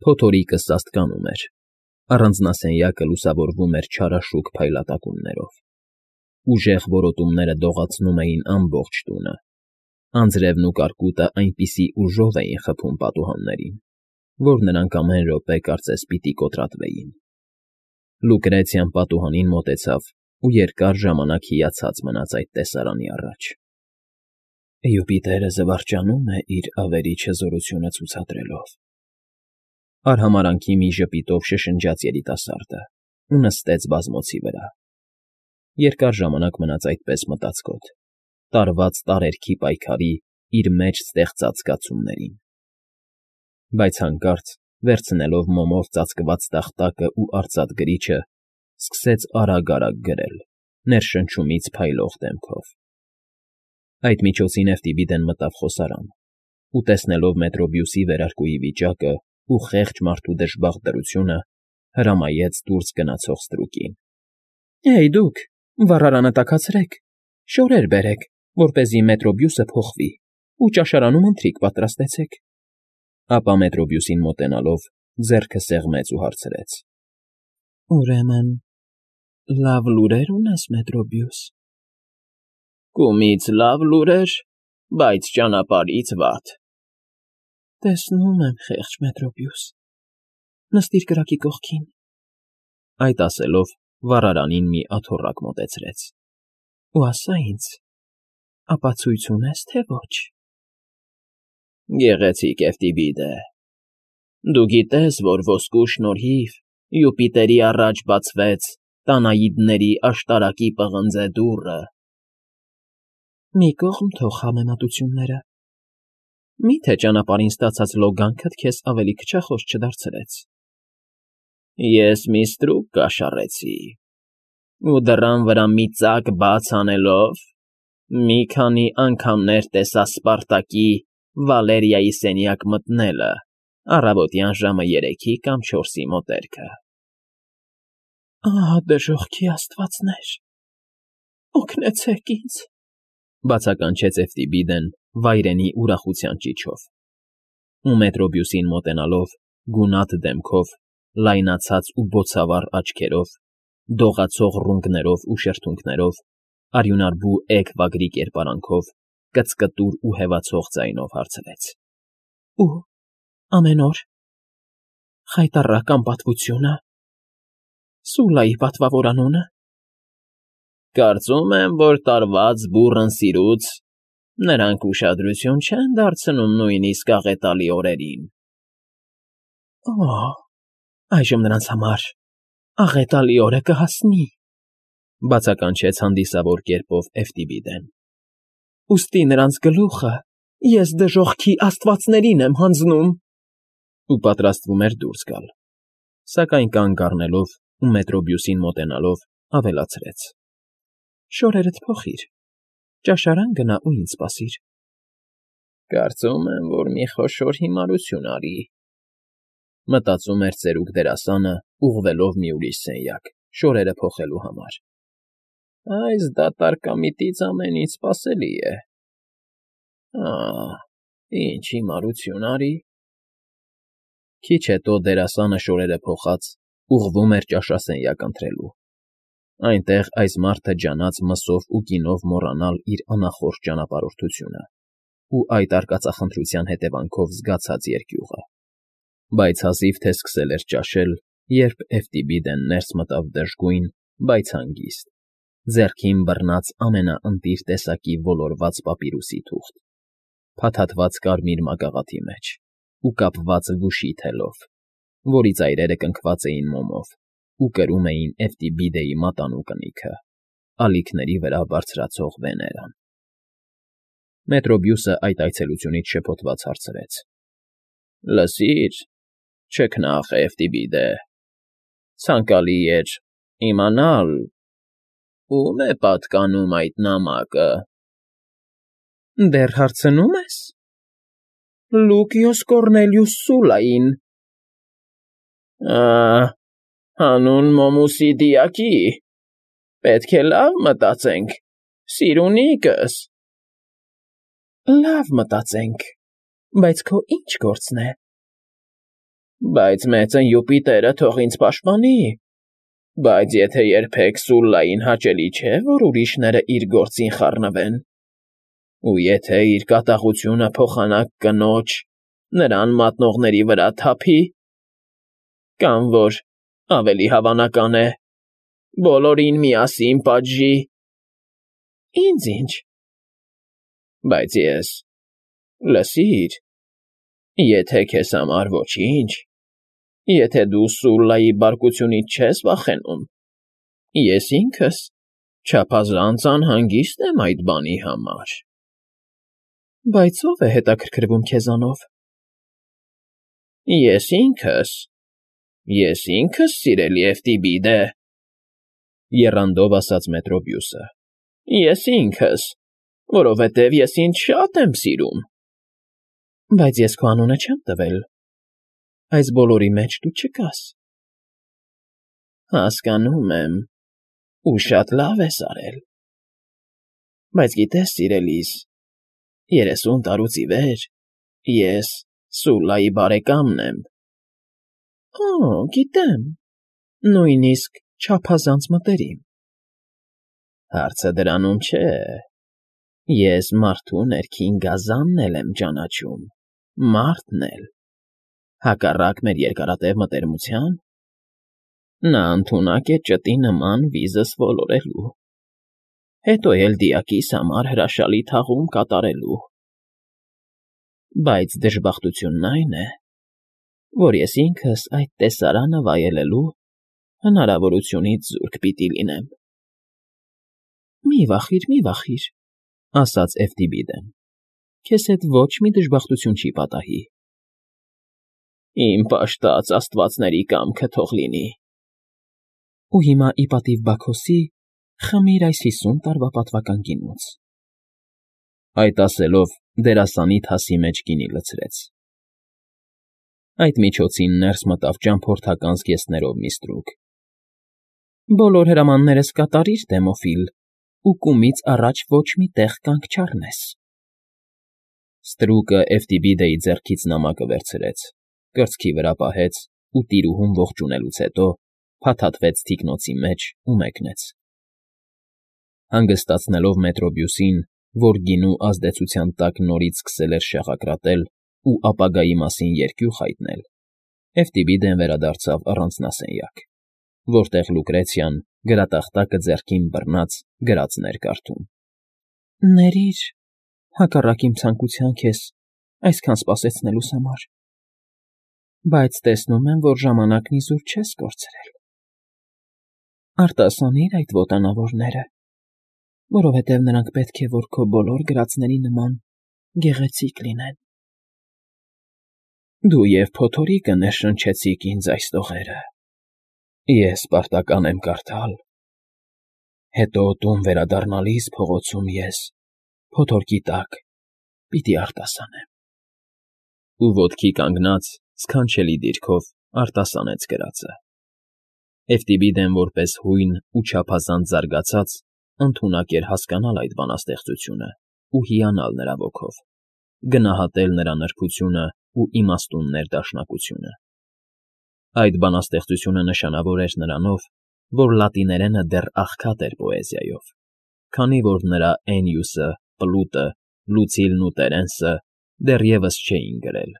Փոթորիկը սաստկանում էր, առանձնասենյակը լուսավորվում էր չարաշուք փայլատակումներով, ուժեղ որոտումները դողացնում էին ամբողջ տունը, անձրևն ու կարկուտը այնպիսի ուժով էին խփում պատուհաններին, որ նրանք ամեն րոպե կարծես պիտի կոտրատվեին։ Լուկրեցիան պատուհանին մոտեցավ ու երկար ժամանակ հիացած մնաց այդ տեսարանի առաջ։ Յուպիտերը զվարճանում է իր ավերիչը զորությունը ցուցադրելով, արհամարանքի մի ժպիտով շշնջաց երիտասարդը ու նստեց բազմոցի վրա։ Երկար ժամանակ մնաց այդպես մտածկոտ, տարված տարերքի պայքարի իր մեջ ստեղծած զգացումներին։ Բայց հանկարծ, վերցնելով մոմով ծածկված տախտակը ու արծաթ գրիչը, սկսեց արագ֊արագ գրել, ներշնչումից փայլող դեմքով։ Այդ միջոցին Էֆտիբիդեն մտավ խոսարան ու, տեսնելով Մետրոբիուսի վերարկուի վիճակը ու խեղճ մարդու դժբախտ դրությունը, հրամայեց դուրս գնացող ստրուկին. «Հեյ դուք, վառարանը տաքացրեք, շորեր բերեք, որպեսզի Մետրոբիուսը փոխվի, ու ճաշարանում ընթրիք պատրաստեցեք»։ Ապա Մետրոբիուսին մոտենալով, ձեռքը սեղմեց ու հարցրեց. «Ուրեմն լավ լուրեր ունես, Մետրոբիուս»։ «Կումից լավ լուրեր, բայց ճանապարհից վատ»։ «Տեսնում եմ, խեղճ Մետրոբիուս, նստիր կրակի կողքին»։ Այդ ասելով, վառարանին մի աթոռակ մոտեցրեց։ «Ու ասա ինձ, ապացույց ունես, թե ոչ»։ «Գեղեցիկ Էֆտիբիդե, դու գիտես, որ ոսկու շնորհիվ Յուպիտերի առաջ բացվեց Տանաիդների աշտարակի պղնձե դուռը»։ «Մի կողմ թող համեմատությունները, մի՞թե ճանապարհին ստացած լոգանքդ քեզ ավելի քչախոս չդարձրեց»։ «Ես մի ստրուկ կաշառեցի, ու դռան վրա մի ծակ բաց անելով, մի քանի անգամներ տեսա Սպարտակի Վալերիայի սենյակ մտնելը առավոտյան ժամը 3-ի կամ 4-ի մոտերքը»։ «Ահ, դժոխքի աստվածներ, օգնեցեք ինձ», բացականչեց Էֆտիբիդեն վայրենի ուրախության ճիչով, ու Մետրոբիուսին մոտենալով, գունատ դեմքով, լայնացած ու բոցավառ աչքերով, դողացող ռունկներով ու շրթունքներով, արյունարբու էգ վագրի կերպարանքով, կծկտուր ու հևացող ձայնով հարցրեց. «Ու ամեն օր խայտառակ անպատվությունը, Սուլայի պատվավոր անունը»։ «Կարծում եմ, որ տարված բուռն սիրուց նրանք ուշադրություն չեն դարձնում նույնիսկ աղետալի օրերին»։ «Օ, այժմ նրանց համար աղետալի օրը կհասնի», բացականչեց հանդիսավոր կերպով Էֆտիբիդեն։ «Ուստի նրանց գլուխը ես դժոխքի աստվածներին եմ հանձնում»։ Ու պատրաստվում էր դուրս գալ, սակայն կանգ առնելով ու Մետրոբիուսին մոտենալով, ավելացրեց. «Շորերդ փոխիր, ճաշարան գնա ու ինձ սպասիր»։ «Կարծում եմ, որ մի խոշոր հիմարություն արի», մտածում էր ծերուկ դերասանը, ուղղվելով մի ուրիշ սենյակ, շորերը փոխելու համար։ «Այս դատարկամիտից ամեն ինչ սպասելի է։ Ինչ հիմարություն արի»։ Քիչ հետո դերասանը շորերը փոխած ուղղվում էր ճաշասենյակ ընթրելու։ Այնտեղ այս մարդը ջանաց մսով ու գինով մոռանալ իր անախորժ ճանապարհորդությունը ու այդ արկածախնդրության հետևանքով զգացած երկյուղը։ Բայց հազիվ թե սկսել էր ճաշել, երբ Էֆտիբիդեն ներս մտավ դժգույն, բայց հանգիստ, ձեռքին բռնած ամենաընտիր տեսակի ոլորված պապիրուսի թուղթ, փաթաթված կարմիր մագաղաթի մեջ ու կապված վուշի թելով, որի ծայրերը կնքված էին մոմով ու կրում էին Էֆտիբիդեի մատանու կնիքը, ալիքների վրա բարձրացող Վեներան։ Մետրոբիուսը այդ այցելությունից շփոթված հարցրեց. «Լսիր, չքնաղ Էֆտիբիդե, ցանկալի էր իմանալ, ո՞ւմ է պատկանում այդ նամակը»։ «Դեռ հարցնո՞ւմ ես։ Լուկիոս Կոռնելիուս Սուլային»։ Հանուն մոմուսի դիակի, պետք է լավ մտածենք, սիրունիկս։ Լավ մտածենք, բայց քո ի՞նչ գործն է։ Բայց մեծն Յուպիտերը թող ինձ պաշտպանի։ Բայց եթե երբեք Սուլլային հաճելի չէ, որ ուրիշները իր գործին խառնվեն, ու եթե իր կատաղությունը փոխանակ կնոջ, նրան մատնողների վրա թափի, կամ որ ավելի հավանական է, բոլորին միասին պատժի, ինձ ինչ։ Բայց ես, լսիր, եթե քեզ համար ոչինչ, եթե դու Սուլլայի բարկությունից չես վախենում, ես ինքս չափազանց անհանգիստ եմ այդ բանի համար։ Բայց ո՞վ է հետաքրքրվում քեզանով։ Ես ինքս, սիրելի Էվտիբիդե, եռանդով ասաց Մետրոբիուսը, ես ինքս, որովհետև ես ինձ շատ եմ սիրում։ Բայց ես քո անունը չեմ տվել, այս բոլորի մեջ դու չկաս։ Հասկանում եմ, ու շատ լավ ես արել։ Բայց գիտես, սիրելիս, 30 տարուց ի վեր ես Սուլլայի բարեկամն եմ։ Օ, գիտեմ, նույնիսկ չափազանց մտերիմ։ Հարցը դրանում չէ։ Ես մարդու ներքին գազանն էլ եմ ճանաչում, մարդն էլ, հակառակ մեր երկարատև մտերմության, նա ընդունակ է ճտի նման վիզս ոլորելու, հետո էլ դիակիս համար հրաշալի թաղում կատարելու։ Բայց դժբախտությունն այն է, որ ես ինքս այդ տեսարանը վայելելու հնարավորությունից զուրկ պիտի լինեմ։ Մի վախիր, ասաց Էվտիբիդեն, քեզ հետ ոչ մի դժբախտություն չի պատահի։ Իմ պաշտած աստվածների կամքը թող լինի։ Ու հիմա ի պատիվ Բաքոսի խմիր այս 50 տարվա պատվական գինուց։ Այդ ասելով դերասանի թասի մեջ գինի լցրեց։ Այդ միջոցին ներս մտավ ճամփորդական զգեստներով մի ստրուկ։ Բոլոր հրամաններս կատարիր, Դեմոֆիլ, ու կումից առաջ ոչ մի տեղ կանգ չառնես։ Ստրուկը Էվտիբիդեի ձեռքից նամակը վերցրեց, կրծքի վրա պահեց ու տիրուհուն ողջունելուց հետո փաթաթվեց թիկնոցի մեջ ու մեկնեց։ Հանգստացնելով Մետրոբիուսին, որ գինու ազդեցության տակ նորից սկսել էր շաղակրատել ու ապագայի մասին երկյուղ հայտնել, Էվտիբիդեն վերադարձավ առանձնասենյակ, որտեղ Լուկրեցիան, գրատախտակը ձեռքին բռնած, գրածն էր կարդում։ Ներիր, հակառակ իմ ցանկության քեզ այսքան սպասեցնելուս համար, բայց տեսնում եմ, որ ժամանակն իզուր չես կորցրել։ Արտասանիր այդ ոտանավորները, որովհետև նրանք պետք է, որ քո բոլոր գրածների նման գեղեցիկ լինեն։ Դու և փոթորիկը ներշնչեցիք ինձ այս տողերը։ Ես պարտական եմ կարդալ։ Հետո տուն վերադառնալիս փողոցում ես, փոթորկի տակ, պիտի արտասանեմ։ Ու ոտքի կանգնած, սքանչելի դիրքով արտասանեց գրածը։ Էվտիբիդեն որպես հույն ու չափազանց զարգացած, ընդունակ էր հասկանալ այդ բանաստեղծությունը ու հիանալ նրա ոգով, գնահատել նրա նրբությունը ու իմաստուն ներդաշնակությունը։ Այդ բանաստեղծությունը նշանավոր էր նրանով, որ լատիներենը դեռ աղքատ էր պոեզիայով, քանի որ նրա Էնիուսը, Պլուտը, Լուցիլն ու Տերենսը դեռևս չէին գրել։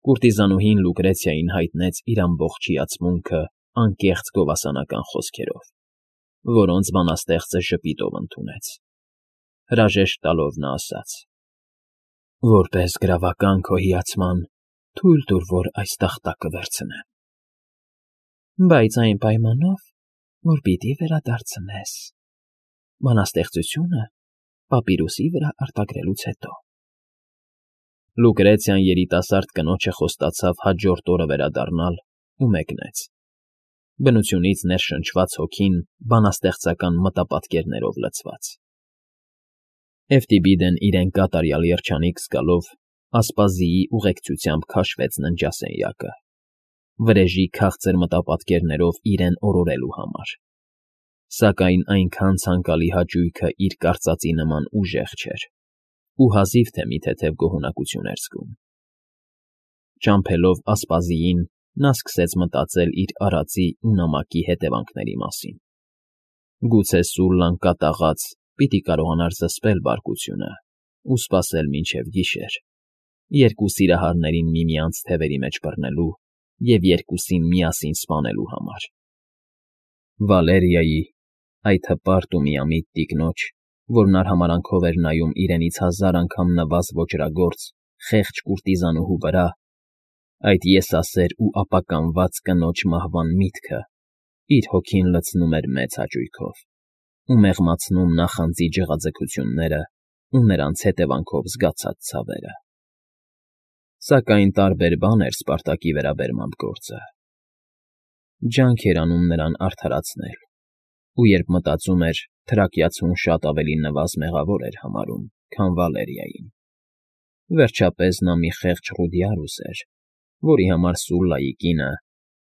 Կուրտիզանուհին Լուկրեցիային հայտնեց իր ամբողջ հիացմունքը անկեղծ գովասանական խոսքերով, որոնց բանաստեղծը ժպիտով ընդունեց։ Հրաժեշտ տալով նա ասաց. Որպես գրավական քո հիացման, թույլ տուր, որ այս տախտակը վերցնեմ։ Բայց այն պայմանով, որ պիտի վերադարձնես բանաստեղծությունը պապիրուսի վրա արտագրելուց հետո։ Լուկրեցիան երիտասարդ կնոջը խոստացավ հաջորդ օրը վերադառնալ ու մեկնեց։ Բնությունից ներշնչված հոգին բանաստեղծական մտապատկերներով լցված։ Էվտիբիդեն իրեն կատարյալ երջանիկ զգալով ասպազիի ուղեկցությամբ քաշվեց ննջասենյակը, վրեժի քաղցր մտապատկերներով իրեն օրորելու համար։ Սակայն այնքան ցանկալի հաճույքը իր կարծածի նման ուժեղ չէր, ու հազիվ թե մի թեթև գոհունակություն էր զգում։ Ճամփելով ասպազիին, նա սկսեց մտածել իր արածի ու նամակի հետևանքների մասին։ Գուցե Սուլլան կատաղած պիտի կարողանար զսպել բարկությունը ու սպասել մինչև գիշեր, երկու սիրահարներին միմյանց թևերի մեջ բռնելու և երկուսին միասին սպանելու համար։ Վալերիայի, այդ հպարտ ու միամիտ տիկնոջ, որն արհամարհանքով էր նայում իրենից 1000 անգամ նվազ ոճրագործ, խեղճ կուրտիզանուհու վրա, այդ եսասեր ու ապականված կնոջ մահվան միտքը իր հոգին լցնում էր մեծ հաճույքով ու մեղմացնում նախանձի ջղաձգությունները ու նրանց հետևանքով զգացած ցավերը։ Սակայն տարբեր բան էր Սպարտակի վերաբերմամբ գործը։ Ջանք էր անում նրան արդարացնել, ու երբ մտածում էր, թրակիացուն շատ ավելի նվազ մեղավոր էր համարում, քան Վալերիային։ Վերջապես նա մի խեղճ Ռուդիարուս էր, որի համար Սուլլայի կինը,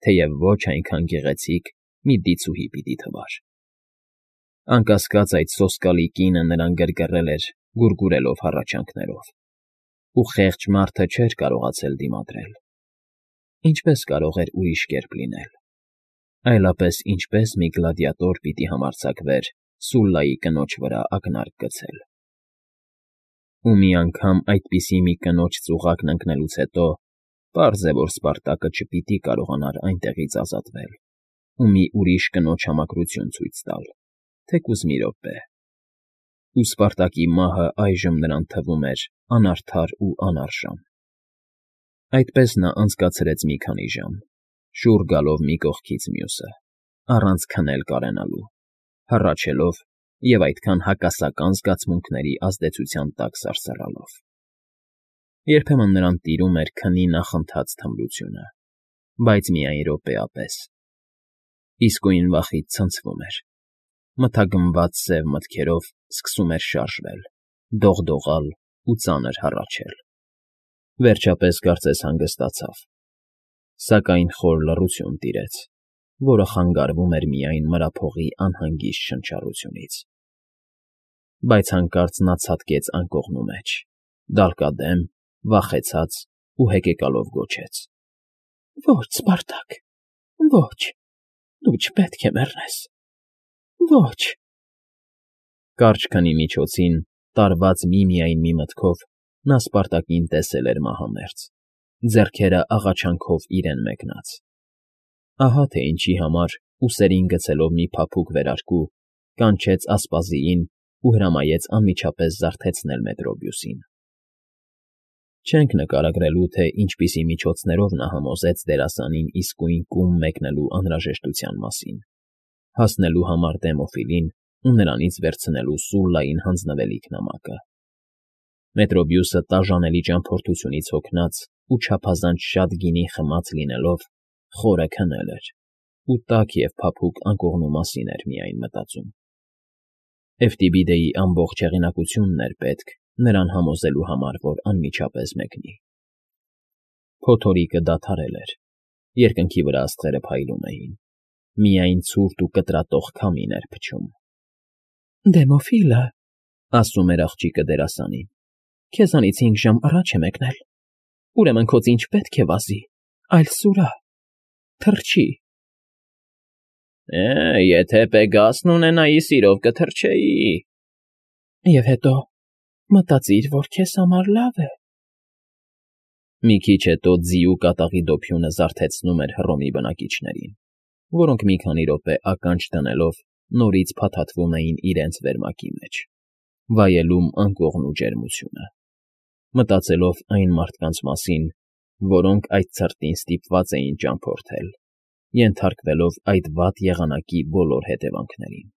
թեև ոչ այնքան գեղեցիկ, մի դիցուհի պիտի թվար։ Անկասկած այդ սոսկալի կինը նրան գրգռել էր, գուրգուրելով հառաչանքներով, ու խեղճ մարդը չէր կարողացել դիմադրել։ Ինչպես կարող էր ուրիշ կերպ լինել։ Այլապես ինչպես մի գլադիատոր պիտի համարձակվեր Սուլլայի կնոջ վրա ակնարկ գցել։ Ու մի անգամ այդպիսի մի կնոջ ծուղակն ընկնելուց հետո պարզ է, որ Սպարտակը չպիտի կարողանար այնտեղից ազատվել ու մի ուրիշ կնոջ համակրություն ցույց տալ, թեկուզ մի րոպե։ Ու Սպարտակի մահը այժմ նրան թվում էր անարդար ու անարժան։ Այդպես նա անցկացրեց մի քանի ժամ, շուռ գալով մի կողքից մյուսը, առանց քնել կարենալու, հառաչելով և այդքան հակասական զգացմունքների ազդեցության տակ սարսռալով։ Երբեմն նրան տիրում էր քնի նախընթաց թմրությունը, բայց միայն րոպեապես։ Իսկույն վախից ցնցվում էր, մթագնված սև մտքերով սկսում էր շարժվել, դողդողալ ու ծանր հառաչել։ Վերջապես կարծես հանգստացավ, սակայն խոր լռություն տիրեց, որը խանգարվում էր միայն մրափողի անհանգիստ շնչառությունից։ Բայց հանկարծ նա ցատկեց անկողնու մեջ, դալկադեմ, վախեցած ու հեկեկալով գոչեց. «Ոչ, Սպարտակ, ոչ, դու չպետք է մեռնես, ոչ»։ Կարճ քնի միջոցին, տարված միմիայն մի մտքով, նա Սպարտակին տեսել էր մահամերձ, ձեռքերը աղաչանքով իրեն մեկնած։ Ահա թե ինչի համար, ուսերին գցելով մի փափուկ վերարկու, կանչեց ասպազիին ու հրամայեց անմիջապես զարթեցնել Մետրոբիուսին։ Չենք նկարագրելու, թե ինչպիսի միջոցներով նա համոզեց դերասանին իսկույն կում մեկնելու անհրաժեշտության մասին, հասնելու համար Դեմոֆիլին ու նրանից վերցնելու Սուլլային հանձնվելիք նամակը։ Մետրոբիուսը տաժանելի ճամփորդությունից հոգնած ու չափազանց շատ գինի խմած լինելով, խորը քնել էր ու տաք և փափուկ անկողնու մասին էր միայն մտածում։ Էվտիբիդեի ամբողջ հեղինակությունն էր պետք նրան համոզելու համար, որ անմիջապես մեկնի։ Փոթորիկը դադարել էր, երկնքի վրա աստղերը փայլում էին, միայն ցուրտ ու կտրատող քամին էր փչում։ «Դեմոֆիլը», ասում էր աղջիկը դերասանին, «քեզանից 5 ժամ առաջ է մեկնել, ուրեմն քո ծինչ պետք է վազի, այլ սուրա, թռչի»։ Եթե Պեգասն ունենայի, սիրով կթռչեի։ Եվ հետո մտածիր, որ քեզ համար լավ է։ Մի քիչ հետո ձիու կատաղի դոփյունը զարթեցնում էր Հռոմի բնակիչներին, որոնք մի քանի րոպե ականջ դնելով նորից փաթաթվում էին իրենց վերմակի մեջ, վայելում անկողնու ջերմությունը, մտածելով այն մարդկանց մասին, որոնք այդ ցրտին ստիպված էին ճամփորդել, ենթարկվելով այդ վատ եղանակի բոլոր հետևանքներին։